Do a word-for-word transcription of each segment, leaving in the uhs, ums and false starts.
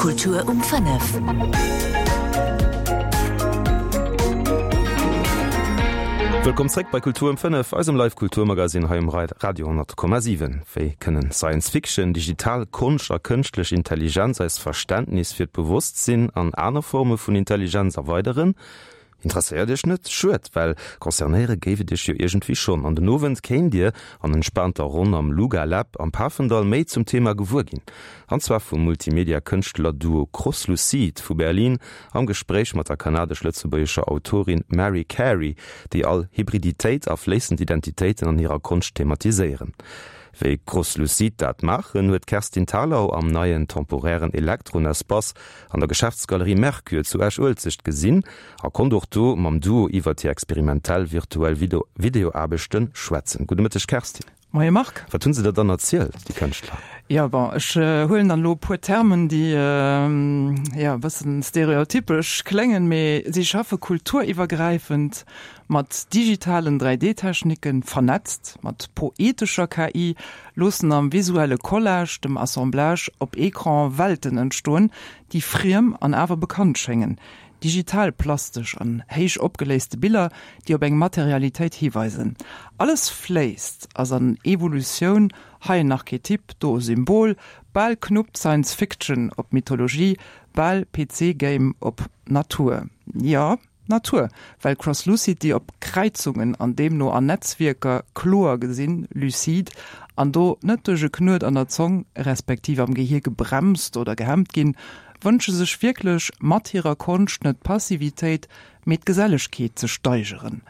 Kultur um fënnef. Wëllkomm zréck bei Kultur um fënnef, eisem Live Kulturmagazin hei um Radio honnert Komma siwen. Wéi kënnen Science Fiction, digital Konscht a kënschtlech Intelligenz eist Verständnis fir d'Bewosstsinn an aner Forme vun Intelligenz erweideren? Interesséiert Iech net? Schued, well concernéiere géif et Iech jo iergendwéi schonn. An den Owend kéint Dir an entspaanter Ronn am Luga Lab am Pafendall méi zum Thema gewuer ginn. An zwar vum Multimedia-Kënschtler-Duo Crosslucid vu Berlin am Gespréich mat der kanadesch-lëtzebuergescher Autorin Mary Carey, déi all Hybriditéit a fléissend Identitéiten an hirer Konscht thematiséieren. Wéi Crosslucid dat maachen, huet d'Kerstin Thalau am neien temporären Elektron-Espace an der Geschäftsgalerie Mercure zu Esch-Uelzecht gesinn a konnt och do mam Duo iwwert hir experimentell virtuell Videoaarbechte schwätzen. Gudde Mëtteg Kerstin. Moie Marc. Wat hunn se der dann erzielt, déi Kënschtler? Jo, bon, ech huelen dann elo e puer Termen, déi jo e bëssen stereotypesch kléngen, mee si schaffe kulturiwwergräifend mat digitalen dräi D-Techniken, vernetzt mat poetescher K I, loossen am visuelle Collage, dem Assemblage op Ecran Welten entstoen, déi friem an awer bekannt schéngen. Digital plastesch an héich opgeléiste Biller, déi op eng Materialitéit hiweisen. Alles fléisst, ass an Evolutioun, hei en Archetyp, do e Symbol, bal knuppt Science Fiction op Mythologie, bal P C Game op Natur. Jo, Natur, well Crosslucity op Kräizungen an deemno an Netzwierker kloer gesinn, lucide, an do net duerch e Knuet an der Zong respektiv am Gehier gebremst oder gehemmt ginn, wënsche sech wierklech mat hirer Konscht net d'Passivitéit, mee d'Gesellegkeet ze steigeren.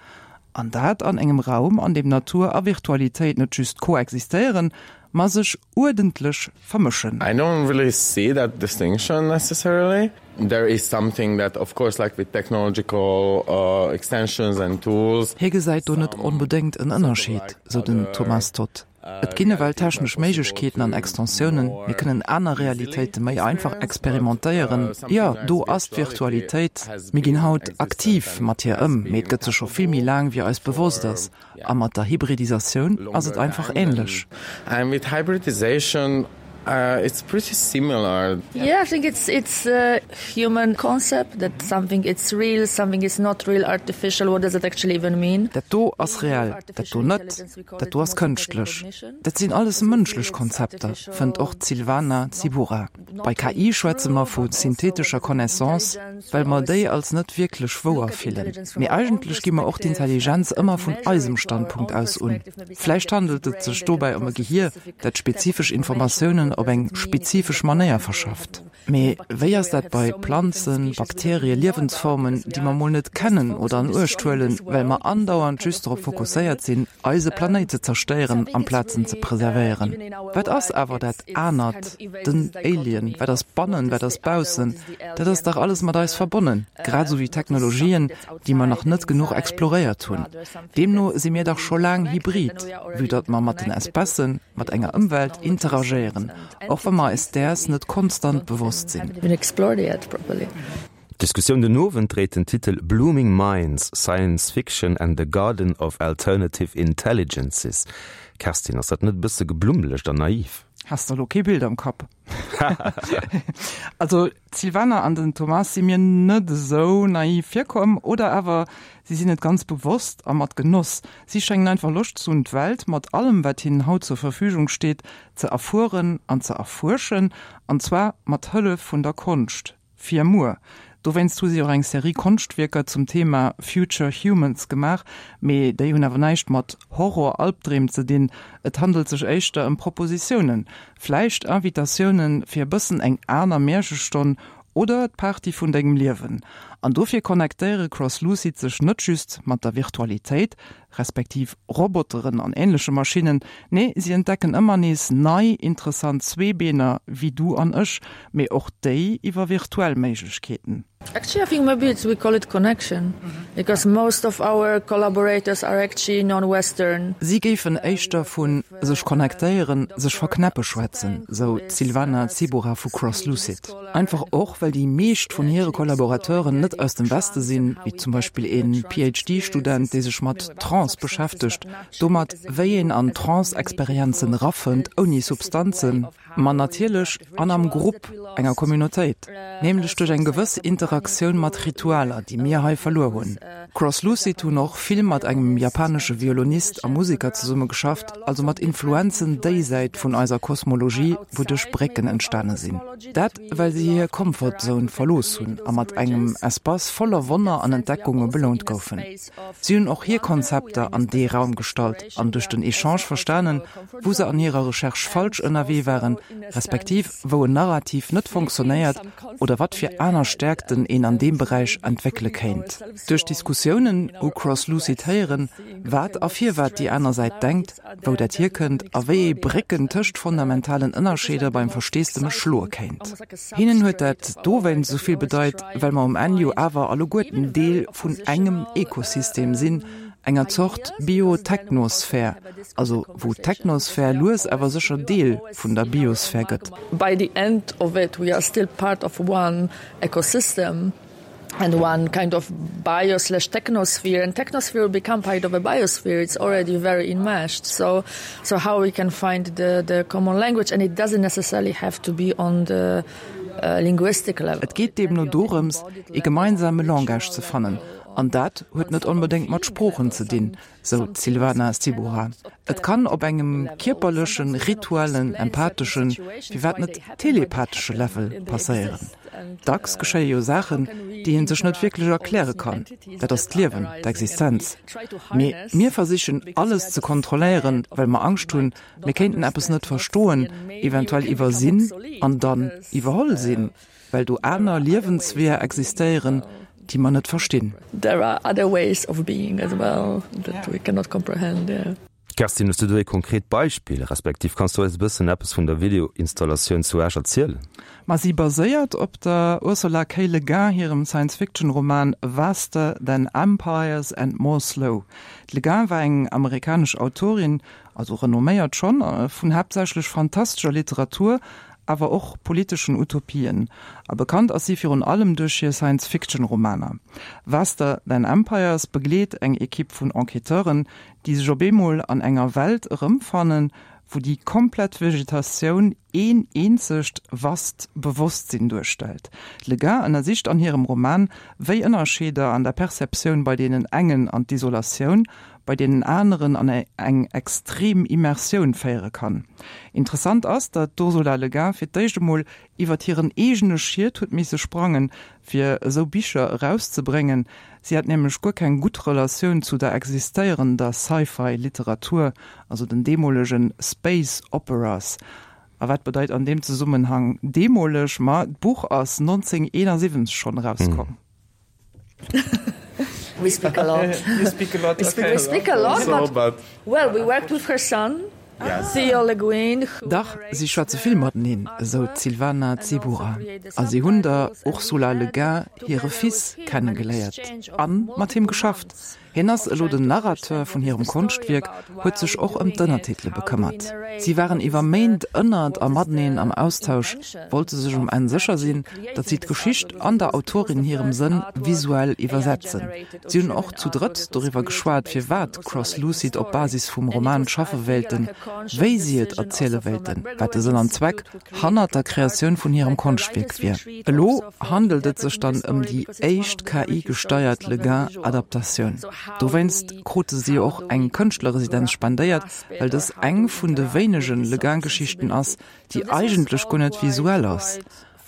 An dat an engem Raum, an deem Natur a Virtualitéit net just koexistéieren, ma sech uerdentlech vermëschen. I don't really see that distinction necessarily. There is something that, of course, like with technological, uh, extensions and tools. Hie gesäit do net onbedéngt en Ënnerscheed, sou den Thomas Todd. Et ginn ewell technesch Méiglechkeeten an Extensiounen, mir kënnen aner Realitéite méi einfach experimentéieren. Jo, do ass d'Virtualitéit, mir ginn haut aktiv mat hir ëm, mee et gëtt se scho vill méi laang, wéi eis bewosst ass. A mat der Hybridisatioun ass et einfach änlech. And with hybridization, uh, it's pretty similar. Yeah, I think it's, it's a human concept that something is real, something is not real, artificial. What does it actually even mean? Dat do ass reell, dat do net, dat do ass kënschtlech. Dat sinn alles mënschlech Konzepter, fënnt och d'Silvana Zibura. Bei K I schwätze mer vu synthetescher Connaissance, well mer déi als net wierklech wouer fillen. Mee eigentlech gi mer och d'Intelligenz ëmmer vun eisem Standpunkt aus un. Vläicht handelt et sech dobäi ëm e Gehier, dat spezifesch Informatiounen op eng spezifesch Manéier verschafft. Mee wéi ass dat bei Planzen, Bakterie, Liewensformen, déi mer mol net kennen oder an Uecht huelen, well mer andauernd just drop fokusséiert sinn, eise Planéit ze zerstéieren, amplaz en ze preservéieren? Wat ass awer dat anert, den Alien? Wat ass bannen, wat ass baussen? Dat ass dach alles mat eis verbonnen, grad esou wéi Technologien, déi mer nach net genuch exploréiert hunn. Deemno si mir dach scho laang hybrid, vue datt mer mat den Espècen, mat enger Ëmwelt interagéieren, och wa mer eis däers net konstant bewosst sinn. D'Diskussioun den Owend dréit den Titel Blooming Minds, Science Fiction and the Garden of Alternative Intelligences. Kerstin, ass dat net e bësse geblummelecht an naiv? Has de elo kee Bild am Kapp? Also d'Silvana an den Thomas si mir net esou naiv virkomm, oder awer si sinn et ganz bewosst a mat Genoss. Si schéngen einfach Loscht ze hunn, d'Welt mat allem, wat hinnen haut zur Verfügung steet, ze erfueren an ze erfuerschen, an zwar mat Hëllef vun der Konscht. Fir muer. Dowéinst hu si och eng Serie Konschtwierker zum Thema Future Humans gemaach, mee déi hunn awer näischt mat Horror-Albdreem ze dinn. Et handelt sech éischter ëm Propositiounen, vläicht Invitatiounen fir e bëssen eng aner Märchestonn oder d'Party vun dengem Liewen. An dofir connectéiere Crosslucid sech net just mat der Virtualitéit, respektiv Roboteren an änleche Maschinnen, nee, si entdecken ëmmer nees nei interessant Zweebeener wéi du an ech, mee och déi iwwer virtuell Méiglechkeeten. Actually, I think maybe it's, we call it connection, because most of our collaborators are actually non-Western. Si géifen éischter vu sech connectéieren, sech verknäppe schwätzen, sou d'Silvana Zibura vu Crosslucid. Einfach och, well déi meescht vun hire Kollaborateuren net aus dem Weste sinn, wéi zum Beispill een PhD-Student, dee sech mat Trance beschäftegt, domat, wéi een an Trance-Experienzen erafënnt, ouni Substanzen, ma natierlech an am Grupp, enger Communautéit, nämlech duerch eng gewëss Interaktioun mat Ritualer, déi mir hei verluer hunn. Crosslucid hunn och vill mat engem japanesche Violonist a Museker zesumme geschafft, also mat Influenzen déisäit vun eiser Kosmologie, wouduerch Brécken entstane sinn. Dat well si hir Comfort Zone verlooss hunn a mat engem Espace voller Wonner an Entdeckunge belount goufen. Si hunn och hir Konzepter an dee Raum gestallt an duerch den Echange verstanen, wou se an hirer Recherche falsch ënnerwee waren, respektiv wou en Narrativ net fonctionnéiert oder wat fir aner Stäerkten een an deem Beräich entwéckele kéint. Duerch Diskussiounen hu Crosslucid héieren, wat a firwat déi aner Säit denkt, wou dat hierkënnt a wéi ee Brécken tëscht fundamentalen Ënnerscheeder beim Versteesdemech schloe kéint. Hinnen huet dat dowéinst esou vill bedeit, well mer um Enn jo awer alleguerten Deel vun engem Ekosystem sinn, enger Zort Bio-Technosphär, also wou d'Technosphär lues awer sécher Deel vun der Biosphär gëtt. By the end of it we are still part of one ecosystem and one kind of bio slash technosphere and technosphere will become part of a biosphere it's already very enmeshed so so how we can find the the common language and it doesn't necessarily have to be on the uh, linguistic level. Et geet deemno dorëms, ee gemeinsame Langage ze fannen, an dat huet net onbedéngt mat Sproochen ze dinn, sou d'Sylvana Stybuhra. Et kann op engem kierperlechen, rituellen, empatheschen, firwat net telepathesche Level passéieren. Dacks geschéie jo Saachen, déi ee sech net wierklech erkläre kann. Dat ass d'Liewen, d'Existenz. Mee mir versichen, alles ze kontrolléieren, well mer Angscht hunn, mir kéinten eppes net verstoen, eventuell iwwersinn an dann iwwerholl sinn, well do aner Liewensweeër existéieren, déi mer net verstinn. There are other ways of being as well that we cannot comprehend, yeah. Kerstin, hues du do ee konkret Beispill, respektiv kanns du eis e bëssen eppes vun der Videoinstallatioun zu Esch erzielen? Ma si baséiert op der Ursula K. Le Guin hirem Science-Fiction-Roman Vaster Than Empires and More Slow. D'Le Guin war eng amerikanesch Autorin, also renomméiert schonn, vun haaptsächlech fantastescher Literatur, awer och politeschen Utopien. A bekannt ass si virun allem duerch hir Science-Fiction-Romaner. Vaster Than Empires begleet eng Ekipp vun Enquêteuren, déi sech op eemol an enger Welt erëmfannen, wou déi komplett Vegetatioun een eenzegt vast Bewosstsinn duerstellt. D'Le Guin ënnersicht an hirem Roman, wéi Ënnerscheeder an der Perceptioun bei deenen engen an d'Isolatioun, bei deenen aneren an eng extrem Immersioun féiere kann. Interessant ass, datt d'Ursula Le Guin fir d'éischt emol iwwert hiren eegene Schiet huet misse sprangen, fir esou Bicher erauszebréngen. Si hat nämlech guer keng gutt Relatioun zu der existéierender Sci-Fi-Literatur, also den deemolege Space Operas. A wat bedeit an deem Zesummenhang deemoleg? Ma d'Buch ass nonzénghunnerteenasiwwenzeg schonn erauskomm. We speak a lot. You speak a lot, We speak, we speak a lot, So, but, but well, we worked with her son, Yes. Theo Le Guin, who Dach, si schwätze vill mateneen, esou d'Sylvana Zybuhra. A si hunn der Ursula Le Guin hire Fils kennegeléiert an mat him geschafft. Hien ass elo den Narrateur vun hirem Konschtwierk, huet sech och ëm d'Ënnertitele bekëmmert. Si waren iwwer Méint ënnert a mateneen am Austausch, wollte sech um Enn sécher sinn, datt si d'Geschicht an der Autorin hirem Sënn visuell iwwersetzen. Si hunn och zu drëtt doriwwer geschwat, firwat Crosslucid op Basis vum Roman schaffe wéilten, wéi si et erziele wéilten, wat de Sënn an Zweck hannert der Kreatioun vun hirem Konschtwierk wier. Elo handelt et sech dann ëm déi éischt K I-gesteiert Le Guin-Adaptatioun. Dowéinst krute si och eng Kënschtlerresidenz spendéiert, well dës eng vun de wéinege Le Guin-Geschichten ass, déi eigentlech guer net visuell ass.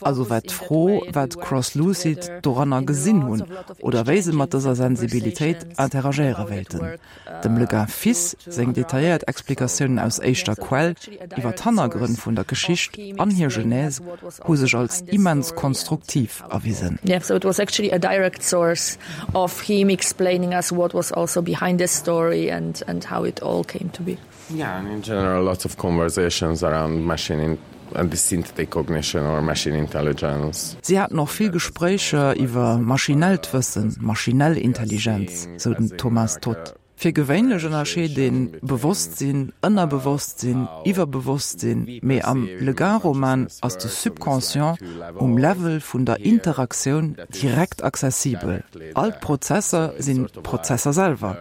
Also war d'Fro, wat Crosslucid doranner gesinn hunn oder wéi se mat dëser Sensibilitéit interagéiere wéilten. Dem Le Guin Fils seng detailléiert Explikatiounen aus éischter Quell iwwer d'Hannergrënn vun der Geschicht an hir Genèse hu sech als immens konstruktiv erwisen. Yeah, so it was actually a direct source of him explaining us what was also behind the story and, and how it all came to be. Yeah, and in general, lots of conversations around machine in and the synthetic cognition or machine intelligence. Si haten och vill Gespréicher iwwer maschinellt Wëssen, maschinell Intelligenz, sou den Thomas Toth. Fir gewéinlech ënnerscheet een Bewosstsinn, Ënnerbewosstsinn, Iwwerbewosstsinn, mee am Le Guin-Roman ass de Subconscient um Level vun der Interaktioun direkt accessibel. All d'Prozesser sinn d'Prozesser selwer.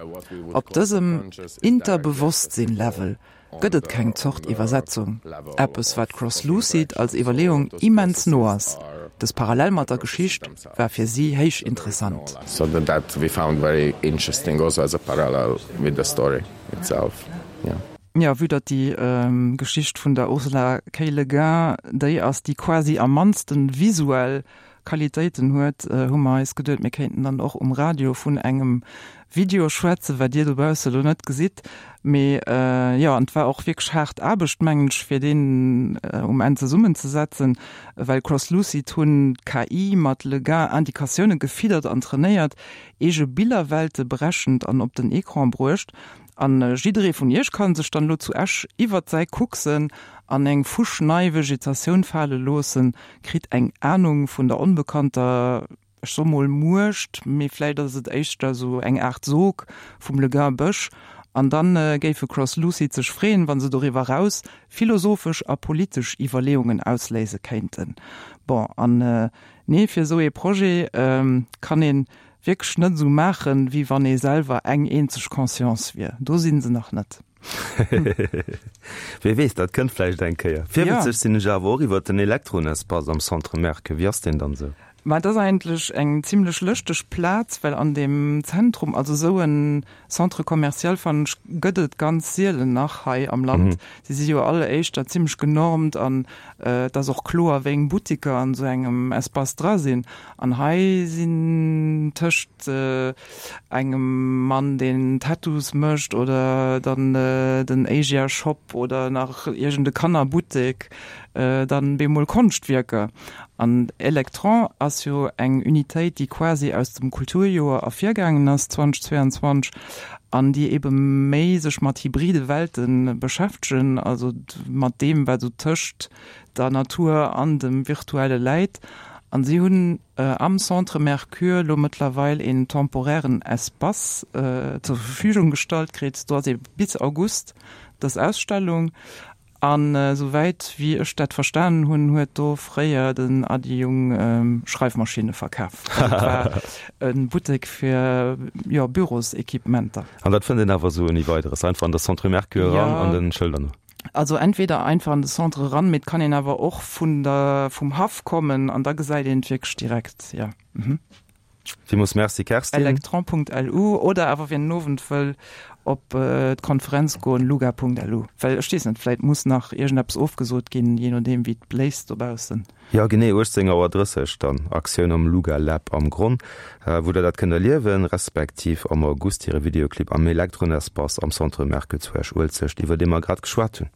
Op dësem Interbewosstsinn-Level gëtt et keng Zort Iwwersetzung, eppes wat Crosslucid als Iwwerleeung immens no ass. Dës Parallel mat der Geschicht war fir si héich interessant. So that we found very interesting also as a parallel with the story itself. Yeah. Ja, vue datt déi Geschicht vun der Ursula K. Le Guin déi ass, déi quasi am mannsten visuell Qualitéiten huet, hu mer eis geduet, mir kéinten dann och um Radio vun engem Video schwätzen, wat Dir dobausse lo net gesitt. Mee jo, an et war och wierklech haart Aarbecht, mengen ech, fir deen um Enn zesummenzesetzen, well Crosslucid hunn d'KI mat Le Guin-Indikatioune gefiddert an trainéiert, eege Billerwelte berechent an op den Ecran bruecht. An jidderee vun Iech kann sech dann elo zu Esch iwwert säi Kucksen an eng fuschnei Vegetatioun fale loossen, kritt eng Anung vun der onbekannter, ech soe mol Muecht, mee vläit ass et éischter esou eng Aart Sog vum Le Guin Bësch. An dann géife Crosslucid sech freeën, wa se doriwwer eraus philosophesch a politesch Iwwerleeungen ausléise kéinten. Bon, an nee, fir esou ee Projet kann een wierklech net esou maachen, wéi wann ee selwer eng eenzeg Conscience wier. Do si se nach net. Wie weess, dat kënnt vläicht eng Kéier. Virwëtzeg sinn ech awer och iwwert den Elektron-Espace am Centre Mercure. Wéi ass deen dann esou? Ma et ass eigentlech eng zimlech lëschteg Plaz, well an deem Zentrum, also esou en Centre commercial, fannen ech, gëtt et ganz sielen nach hei am Land. Si si jo all éischter zimlech genormt an et ass och kloer, wéi eng Buttiker an esou engem Espace dra sinn. An hei sinn tëscht engem Mann, deen Tattoos mécht oder dann den Asia Shop oder nach iergend e Kannerbuttek, dann bemol Konschtwierker. An Electron ass jo eng Unitéit, déi quasi aus dem Kulturjoer ervirgaangen ass zweitausendzweiundzwanzeg an déi ebe méi sech mat hybride Welte beschäftegen, also mat deem, wat esou tëscht der Natur an dem Virtuelle läit. An si hunn am Centre Mercure lo mëttlerweil een temporairen Espace zur Verfügung gestallt kritt. Do ass ebe bis August dës Ausstellung. An esouwäit wéi ech dat verstanen hunn, huet do fréier den Ady Jung Schreifmaschinne verkaf. Also et war e Buttek fir, jo, Bürosequipementer. An dat fënnt een awer esou ouni Weideres, einfach an de Centre Mercure eran an den Schëlder no? Also entweder einfach an de Centre eran, mee et kann een awer och vun der, vum Haff kommen an da gesäit een et wierklech direkt, jo. Villmools Merci Kerstin. Electron.lu oder awer wien den Owend wëll op d'Konferenz goen, luga.lu. Well ech weess net, vläit muss nach iergendeppes ofgesot ginn, jee nodeem wéi et bléist dobaussen. Jo genee, uechtzéng Auer drësseg dann Aktioun am Luga Lab am Gronn, wou der dat kënnt erliewen, respektiv am August hire Videoclip am Electron Espace am Centre Mercure zu Esch-Uelzecht, iwwer dee mer grad geschwat hunn.